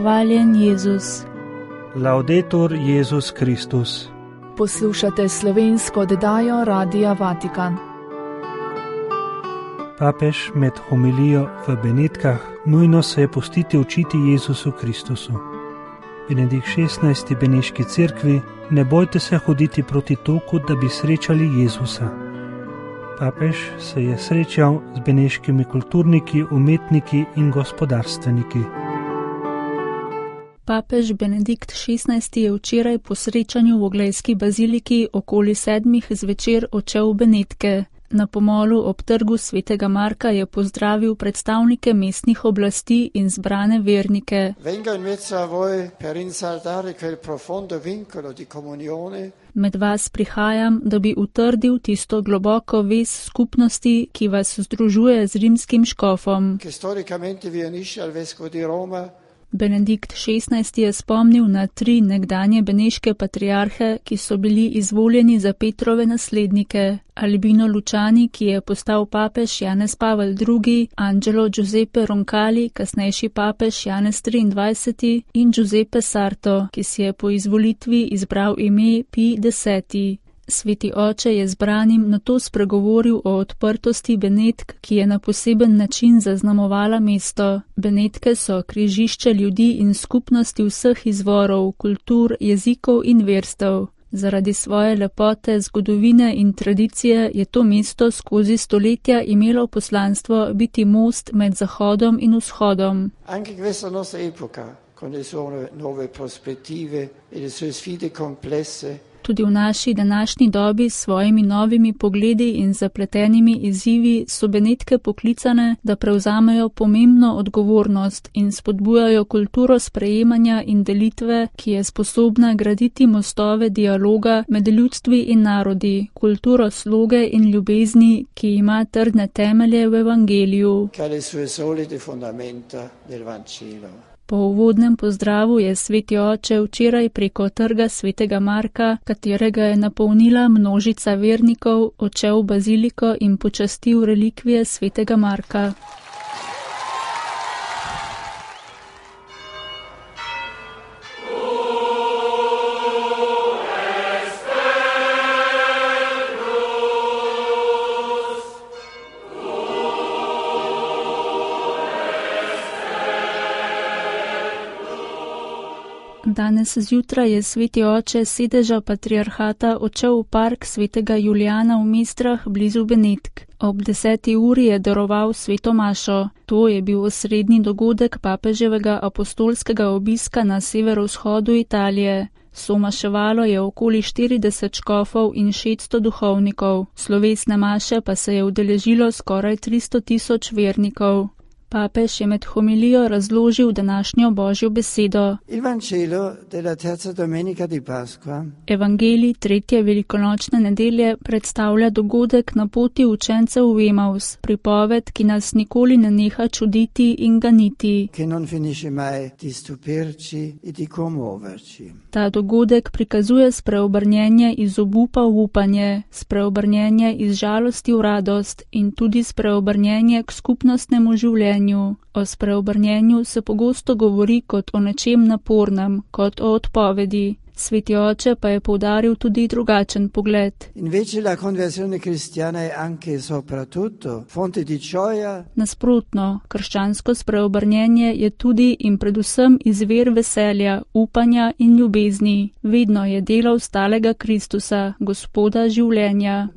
Hvaljen Jezus. Laudetur Jezus Kristus. Poslušate slovensko oddajo Radia Vatikan. Papež med homilijo v Benetkah nujno se je pustiti učiti Jezusu Kristusu. Benedikt XVI. Beneški cerkvi: ne bojte se hoditi proti toku, da bi srečali Jezusa. Papež se je srečal z beneškimi kulturniki, umetniki in gospodarstveniki. Papež Benedikt XVI. Je včeraj po srečanju v Oglejski baziliki okoli 7 zvečer odšel v Benetke. Na pomolu ob trgu svetega Marka je pozdravil predstavnike mestnih oblasti in zbrane vernike. Med vas prihajam, da bi utrdil tisto globoko vez skupnosti, ki vas združuje z rimskim škofom. Benedikt XVI. Je spomnil na 3 nekdanje beneške patriarhe, ki so bili izvoljeni za Petrove naslednike: Albino Luciani, ki je postal papež Janez Pavel II., Angelo Giuseppe Roncalli, kasnejši papež Janez XXIII. In Giuseppe Sarto, ki si je po izvolitvi izbral ime Pij X. Sveti oče je zbranim nato spregovoril o odprtosti Benetk, ki je na poseben način zaznamovala mesto. Benetke so križišče ljudi in skupnosti vseh izvorov, kultur, jezikov in verstev. Zaradi svoje lepote, zgodovine in tradicije je to mesto skozi stoletja imelo poslanstvo biti most med Zahodom in Vzhodom. Anche questa nostra epoca, con le sue nuove prospettive e le sue sfide complesse, Tudi v naši današnji dobi s svojimi novimi pogledi in zapletenimi izzivi so Benetke poklicane, da prevzamejo pomembno odgovornost in spodbujajo kulturo sprejemanja in delitve, ki je sposobna graditi mostove dialoga med ljudstvi in narodi, kulturo sloge in ljubezni, ki ima trdne temelje v evangeliju. Po uvodnem pozdravu je sveti oče včeraj preko trga svetega Marka, katerega je napolnila množica vernikov, odšel v baziliko in počastil relikvije svetega Marka. Danes zjutraj je sveti oče sedeža patriarhata odšel v park svetega Julijana v Mestrah blizu Benetk. Ob 10. uri je daroval sveto mašo. To je bil osrednji dogodek papeževega apostolskega obiska na severovzhodu Italije. Somaševalo je okoli 40 škofov in 600 duhovnikov. Slovesne maše pa se je udeležilo skoraj 300.000 vernikov. Papež je med homilijo razložil današnjo Božjo besedo. Evangelij 3. velikonočne nedelje predstavlja dogodek na poti učencev v Emaus, pripoved, ki nas nikoli ne neha čuditi in ganiti. Ta dogodek prikazuje spreobrnjenje iz obupa v upanje, spreobrnjenje iz žalosti v radost in tudi spreobrnjenje k skupnostnemu življenju. O spreobrnjenju se pogosto govori kot o nečem napornem, kot o odpovedi. Sveti oče pa je poudaril tudi drugačen pogled. Nasprotno, krščansko spreobrnjenje je tudi in predvsem izvir veselja, upanja in ljubezni. Vedno je delo vstalega Kristusa, Gospoda življenja.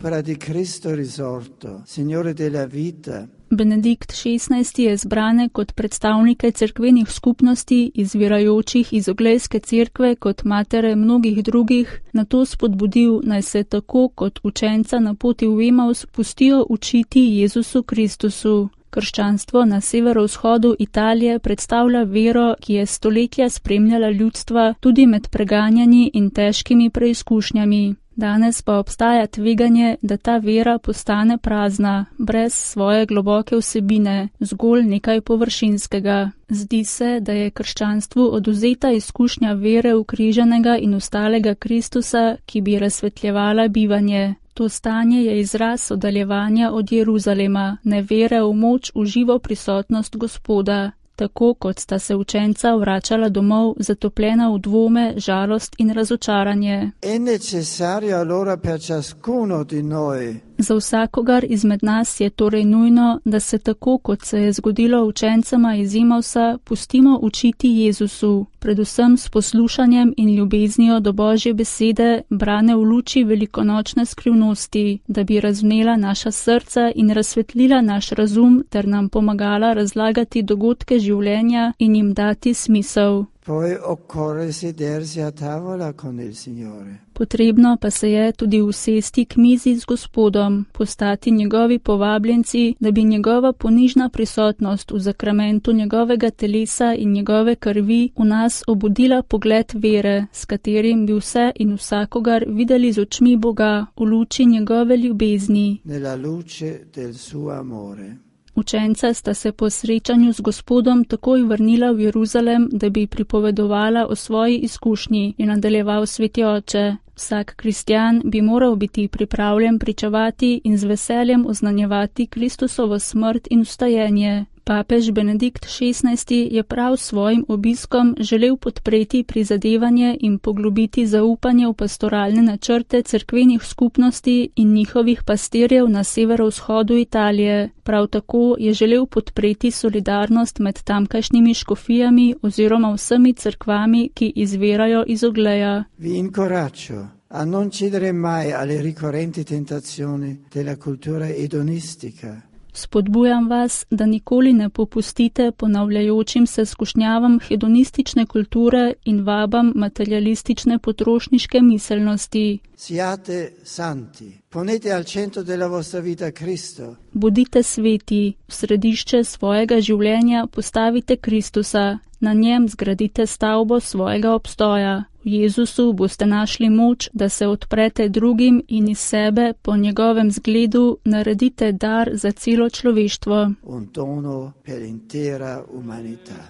Benedikt XVI. Je zbrane kot predstavnike cerkvenih skupnosti, izvirajočih iz Oglejske cerkve kot matere mnogih drugih, nato spodbudil, naj se tako kot učenca na poti v Emaus pustijo učiti Jezusu Kristusu. Krščanstvo na severovzhodu Italije predstavlja vero, ki je stoletja spremljala ljudstva tudi med preganjanji in težkimi preizkušnjami. Danes pa obstaja tveganje, da ta vera postane prazna, brez svoje globoke vsebine, zgolj nekaj površinskega. Zdi se, da je krščanstvu odvzeta izkušnja vere ukrižanega in vstalega Kristusa, ki bi razsvetljevala bivanje. To stanje je izraz oddaljevanja od Jeruzalema, nevere v moč v živo prisotnost Gospoda. tako kot sta se učenca vračala domov, zatopljena v dvome, žalost in razočaranje. È necessario allora per ciascuno di noi Za vsakogar izmed nas je torej nujno, da se tako, kot se je zgodilo učencema iz Emausa, pustimo učiti Jezusu, predvsem s poslušanjem in ljubeznijo do Božje besede, brane v luči velikonočne skrivnosti, da bi razvnela naša srca in razsvetlila naš razum ter nam pomagala razlagati dogodke življenja in jim dati smisel. Poi occorre sedersi a tavola con il Signore. Potrebno pa se je tudi usesti k mizi z Gospodom, postati njegovi povabljenci, da bi njegova ponižna prisotnost v zakramentu njegovega telesa in njegove krvi v nas obudila pogled vere, s katerim bi vse in vsakogar videli z očmi Boga v luči njegove ljubezni. Nella luce del suo amore. Učenca sta se po srečanju z Gospodom takoj vrnila v Jeruzalem, da bi pripovedovala o svoji izkušnji, in nadaljeval Sveti Oče. Vsak kristjan bi moral biti pripravljen pričevati in z veseljem oznanjevati Kristusovo smrt in vstajenje. Papež Benedikt XVI je prav s svojim obiskom želel podpreti prizadevanje in poglobiti zaupanje v pastoralne načrte cerkvenih skupnosti in njihovih pastirjev na severovzhodu Italije. Prav tako je želel podpreti solidarnost med tamkajšnjimi škofijami oziroma vsemi cerkvami, ki izvirajo iz Ogleja. Vi incoraggio a non cedere mai alle ricorrenti tentazioni della cultura edonistica. Spodbujam vas, da nikoli ne popustite ponavljajočim se skušnjavam hedonistične kulture in vabam materialistične potrošniške miselnosti. Siate santi, ponete al centro della vostra vita Cristo. Bodite sveti, v središče svojega življenja postavite Kristusa, na njem zgradite stavbo svojega obstoja. V Jezusu boste našli moč, da se odprete drugim in iz sebe po njegovem zgledu naredite dar za celo človeštvo. Un dono per l'intera umanità.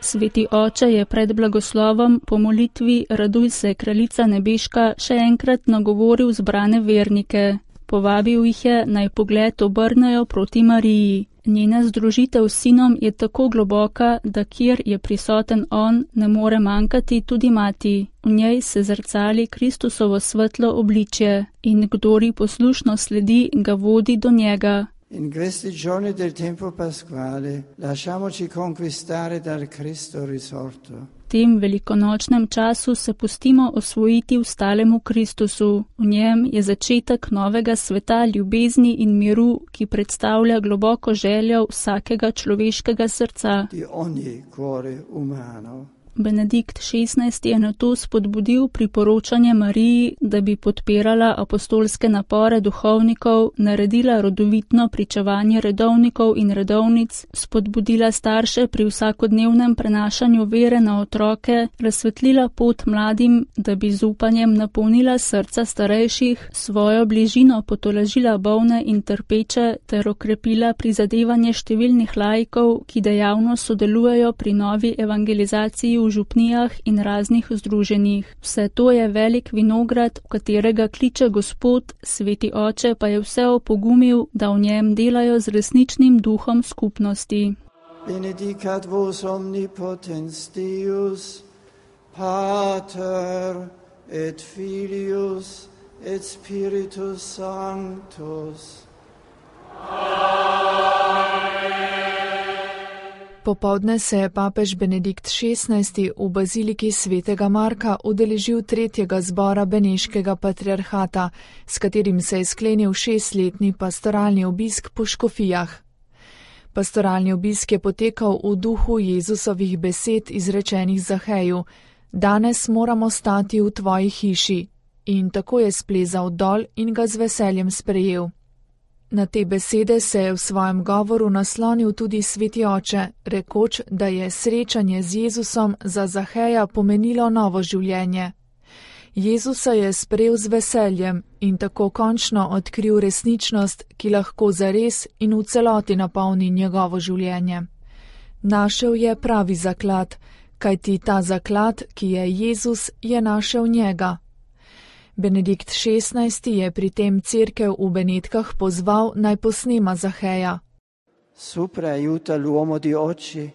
Sveti Oče je pred blagoslovom po molitvi Raduj se, kraljica nebeška, še enkrat nagovoril zbrane vernike. Povabil jih je, naj pogled obrnejo proti Mariji. Njena združitev s sinom je tako globoka, da kjer je prisoten on, ne more manjkati tudi mati. V njej se zrcali Kristusovo svetlo obličje in kdor ji poslušno sledi, ga vodi do njega. In questi giorni del tempo pasquale lasciamoci conquistare dal Cristo risorto. V tem velikonočnem času se pustimo osvojiti ustalemu Kristusu. V njem je začetek novega sveta ljubezni in miru, ki predstavlja globoko željo vsakega človeškega srca. Di ogni cuore umano. Benedikt XVI je nato spodbudil priporočanje Mariji, da bi podpirala apostolske napore duhovnikov, naredila rodovitno pričevanje redovnikov in redovnic, spodbudila starše pri vsakodnevnem prenašanju vere na otroke, razsvetlila pot mladim, da bi z upanjem napolnila srca starejših, svojo bližino potolažila bolne in trpeče ter okrepila prizadevanje številnih laikov, ki dejavno sodelujejo pri novi evangelizaciji v župnijah in raznih združenjih. Vse to je velik vinograd, v katerega kliče Gospod, Sveti Oče pa je vse opogumil, da v njem delajo z resničnim duhom skupnosti. Benedicat vos omnipotens Deus, Pater et Filius et Spiritus Sanctus. Popovdne se je papež Benedikt XVI v baziliki svetega Marka udeležil tretjega zbora beneškega patriarhata, s katerim se je sklenil 6-letni pastoralni obisk po škofijah. Pastoralni obisk je potekal v duhu Jezusovih besed izrečenih Zaheju: danes moramo stati v tvoji hiši. In tako je splezal dol in ga z veseljem sprejel. Na te besede se je v svojem govoru naslonil tudi Sveti Oče, rekoč, da je srečanje z Jezusom za Zaheja pomenilo novo življenje. Jezusa je sprejel z veseljem in tako končno odkril resničnost, ki lahko zares in v celoti napolni njegovo življenje. Našel je pravi zaklad, kajti ta zaklad, ki je Jezus, je našel njega. Benedikt XVI je pri tem cerkev v Benetkah pozval, naj posnema Zaheja. supera e aiuta l'uomo di oggi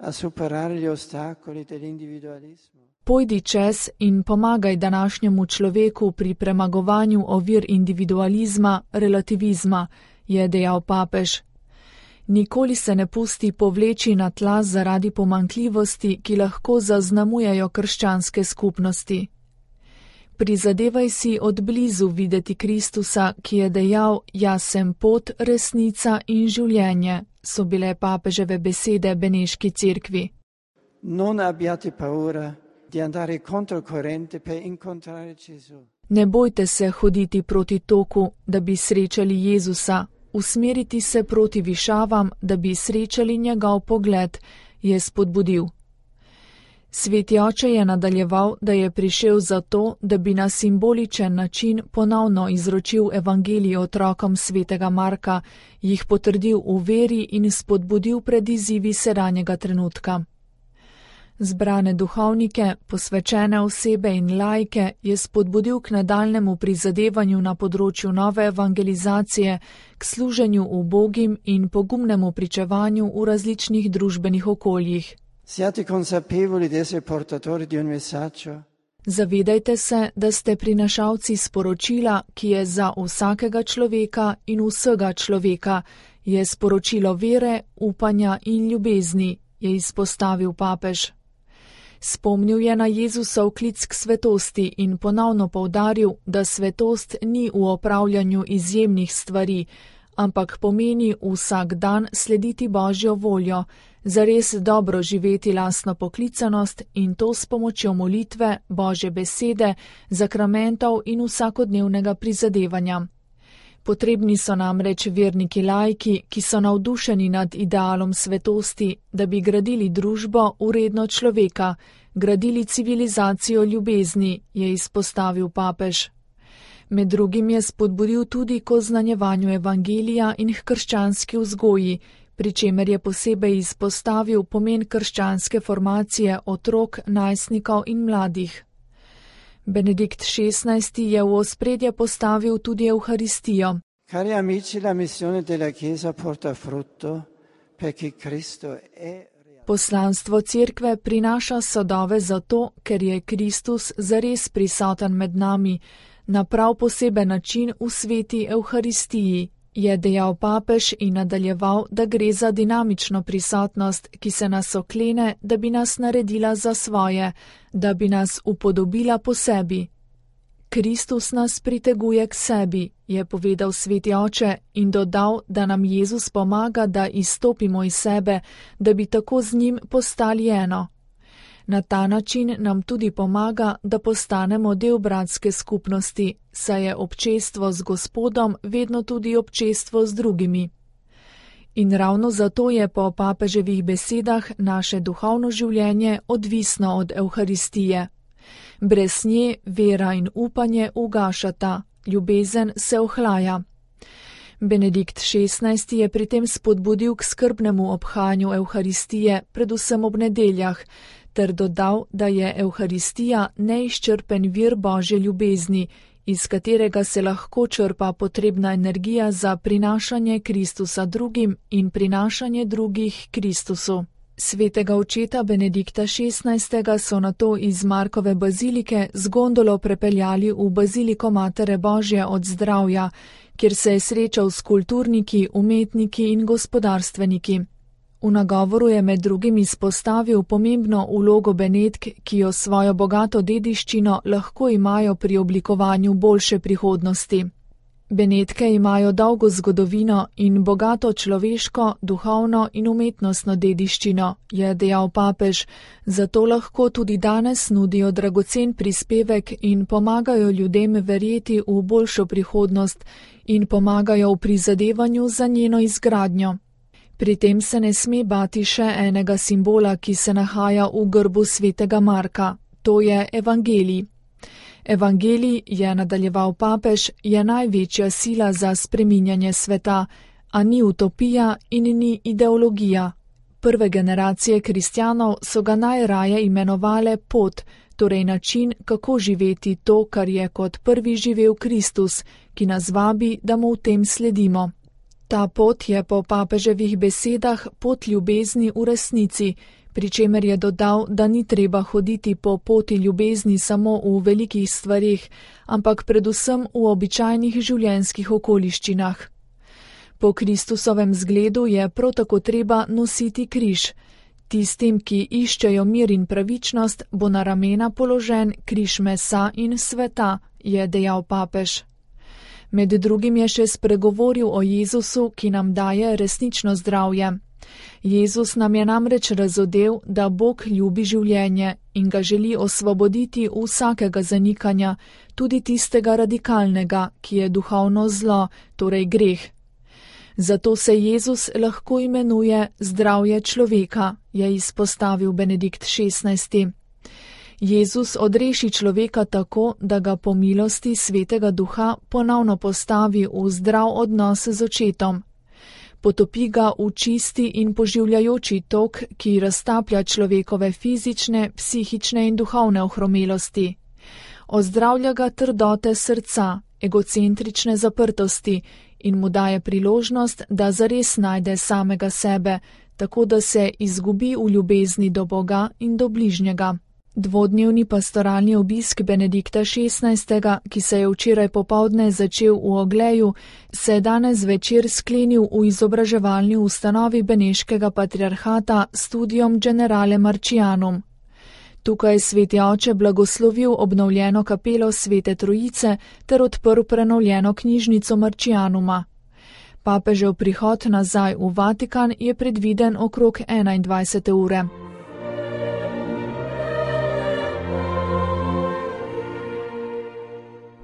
a superare gli ostacoli dell'individualismo. Pojdi čez in pomagaj današnjemu človeku pri premagovanju ovir individualizma, relativizma, je dejal papež. Nikoli se ne pusti povleči na tla zaradi pomanjkljivosti, ki lahko zaznamujejo krščanske skupnosti. Prizadevaj si od blizu videti Kristusa, ki je dejal: "Jaz sem pot, resnica in življenje", so bile papeževe besede Beneški cerkvi. Non abbiate paura di andare controcorrente per incontrare Gesù. Ne bojte se hoditi proti toku, da bi srečali Jezusa, usmeriti se proti višavam, da bi srečali njegov pogled, je spodbudil. Sveti oče je nadaljeval, da je prišel zato, da bi na simboličen način ponovno izročil evangelij otrokom svetega Marka, jih potrdil v veri in spodbudil pred izzivi sedanjega trenutka. Zbrane duhovnike, posvečene osebe in laike je spodbudil k nadaljnemu prizadevanju na področju nove evangelizacije, k služenju ubogim in pogumnemu pričevanju v različnih družbenih okoljih. Siate consapevoli di essere portatori di un messaggio. Zavedajte se, da ste prinašalci sporočila, ki je za vsakega človeka in vsega človeka, je sporočilo vere, upanja in ljubezni, je izpostavil papež. Spomnil je na Jezusov klic k svetosti in ponovno poudaril, da svetost ni v opravljanju izjemnih stvari, ampak pomeni vsak dan slediti Božjo voljo, zares dobro živeti lastno poklicanost in to s pomočjo molitve, Božje besede, zakramentov in vsakodnevnega prizadevanja. Potrebni so namreč verniki laiki, ki so navdušeni nad idealom svetosti, da bi gradili družbo vredno človeka, gradili civilizacijo ljubezni, je izpostavil papež. Med drugim je spodbudil tudi k oznanjevanju evangelija in k krščanski vzgoji, pri čemer je posebej izpostavil pomen krščanske formacije otrok, najstnikov in mladih. Benedikt XVI je v ospredje postavil tudi Evharistijo. Cari amici, la missione della Chiesa porta frutto perché Cristo è. Poslanstvo cerkve prinaša sadove zato, ker je Kristus zares prisoten med nami, na prav poseben način v sveti Evharistiji, je dejal papež in nadaljeval, da gre za dinamično prisotnost, ki se nas oklene, da bi nas naredila za svoje, da bi nas upodobila po sebi. Kristus nas priteguje k sebi, je povedal sveti oče in dodal, da nam Jezus pomaga, da izstopimo iz sebe, da bi tako z njim postali eno. Na ta način nam tudi pomaga, da postanemo del bratske skupnosti, saj je občestvo z Gospodom vedno tudi občestvo z drugimi. In ravno zato je po papeževih besedah naše duhovno življenje odvisno od Evharistije. Brez nje vera in upanje ugašata, ljubezen se ohlaja. Benedikt XVI je pri tem spodbudil k skrbnemu obhajanju Evharistije, predvsem ob nedeljah, ter dodal, da je Evharistija neizčrpen vir Božje ljubezni, iz katerega se lahko črpa potrebna energija za prinašanje Kristusa drugim in prinašanje drugih Kristusu. Svetega očeta Benedikta XVI so nato iz Markove bazilike z gondolo prepeljali v baziliko Matere Božje od Zdravja, kjer se je srečal s kulturniki, umetniki in gospodarstveniki. V nagovoru je med drugim izpostavil pomembno vlogo Benetk, ki jo svojo bogato dediščino lahko imajo pri oblikovanju boljše prihodnosti. Benetke imajo dolgo zgodovino in bogato človeško, duhovno in umetnostno dediščino, je dejal papež, zato lahko tudi danes nudijo dragocen prispevek in pomagajo ljudem verjeti v boljšo prihodnost in pomagajo v prizadevanju za njeno izgradnjo. Pri tem se ne sme bati še enega simbola, ki se nahaja v grbu svetega Marka, to je evangelij. Evangelij, je nadaljeval papež, je največja sila za spreminjanje sveta, a ni utopija in ni ideologija. Prve generacije kristjanov so ga najraje imenovale pot, torej način, kako živeti to, kar je kot prvi živel Kristus, ki nas vabi, da mu v tem sledimo. Ta pot je po papeževih besedah pot ljubezni v resnici, pri čemer je dodal, da ni treba hoditi po poti ljubezni samo v velikih stvareh, ampak predvsem v običajnih življenjskih okoliščinah. Po Kristusovem zgledu je prav tako treba nositi križ. Tistim, ki iščejo mir in pravičnost, bo na ramena položen križ mesa in sveta, je dejal papež. Med drugim je še spregovoril o Jezusu, ki nam daje resnično zdravje. Jezus nam je namreč razodel, da Bog ljubi življenje in ga želi osvoboditi vsakega zanikanja, tudi tistega radikalnega, ki je duhovno zlo, torej greh. Zato se Jezus lahko imenuje zdravje človeka, je izpostavil Benedikt XVI. Jezus odreši človeka tako, da ga po milosti Svetega Duha ponovno postavi v zdrav odnos z očetom. Potopi ga v čisti in poživljajoči tok, ki raztaplja človekove fizične, psihične in duhovne ohromelosti. Ozdravlja ga trdote srca, egocentrične zaprtosti in mu daje priložnost, da zares najde samega sebe, tako da se izgubi v ljubezni do Boga in do bližnjega. Dvodnevni pastoralni obisk Benedikta XVI., ki se je včeraj popoldne začel v Ogleju, se je danes večer sklenil v izobraževalni ustanovi Beneškega patriarhata Studium Generale Marcianum. Tukaj je sveti oče blagoslovil obnovljeno kapelo Svete Trojice ter odprl prenovljeno knjižnico Marcianuma. Papežev prihod nazaj v Vatikan je predviden okrog 21. ure.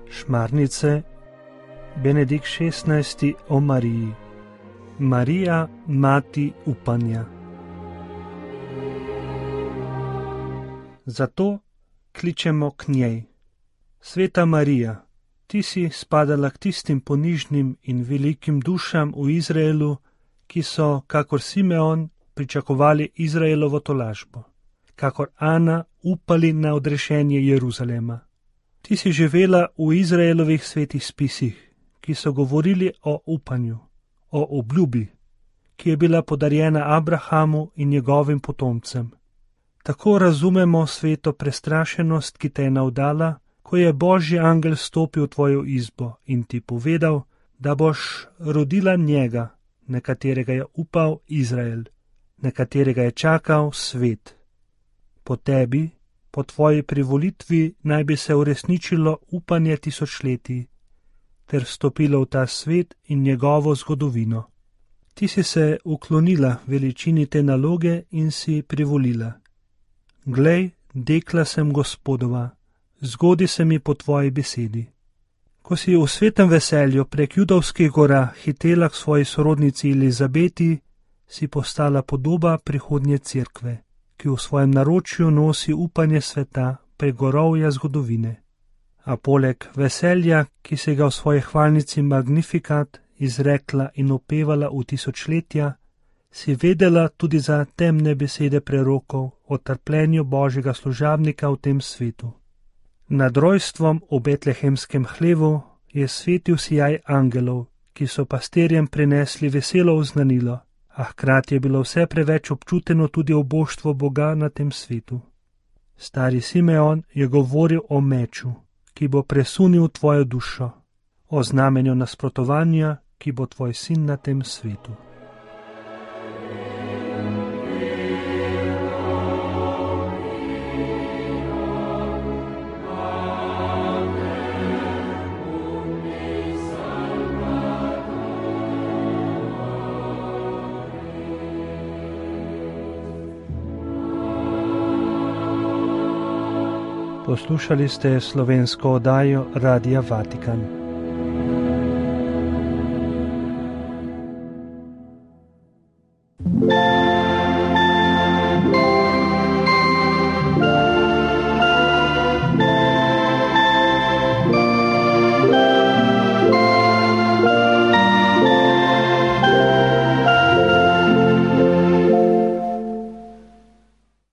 Šmarnice, Benedikt XVI. O Mariji. Marija, mati upanja. Zato kličemo k njej. Sveta Marija, ti si spadala k tistim ponižnim in velikim dušam v Izraelu, ki so, kakor Simeon, pričakovali Izraelovo tolažbo, kakor Ana upali na odrešenje Jeruzalema. Ti si živela v Izraelovih svetih spisih, ki so govorili o upanju, o obljubi, ki je bila podarjena Abrahamu in njegovim potomcem. Tako razumemo sveto prestrašenost, ki te je navdala, ko je Božji angel stopil v tvojo izbo in ti povedal, da boš rodila njega, na katerega je upal Izrael, na katerega je čakal svet. Po tebi, po tvoji privolitvi naj bi se uresničilo upanje tisočletij, ter vstopilo v ta svet in njegovo zgodovino. Ti si se uklonila veličini te naloge in si privolila. Glej, dekla sem Gospodova, zgodi se mi po tvoji besedi. Ko si v svetem veselju prek judovskih gora hitela k svoji sorodnici Elizabeti, si postala podoba prihodnje cerkve, ki v svojem naročju nosi upanje sveta prek gorovja zgodovine. A poleg veselja, ki se ga v svoji hvalnici Magnificat izrekla in opevala v tisočletja, si vedela tudi za temne besede prerokov o trpljenju Božjega služabnika v tem svetu. Nad rojstvom v betlehemskem hlevu je svetil sijaj angelov, ki so pastirjem prinesli veselo oznanilo, a hkrati je bilo vse preveč občuteno tudi oboštvo Boga na tem svetu. Stari Simeon je govoril o meču, ki bo presunil tvojo dušo, o znamenju nasprotovanja, ki bo tvoj sin na tem svetu. Poslušali ste slovensko oddajo Radia Vatikan.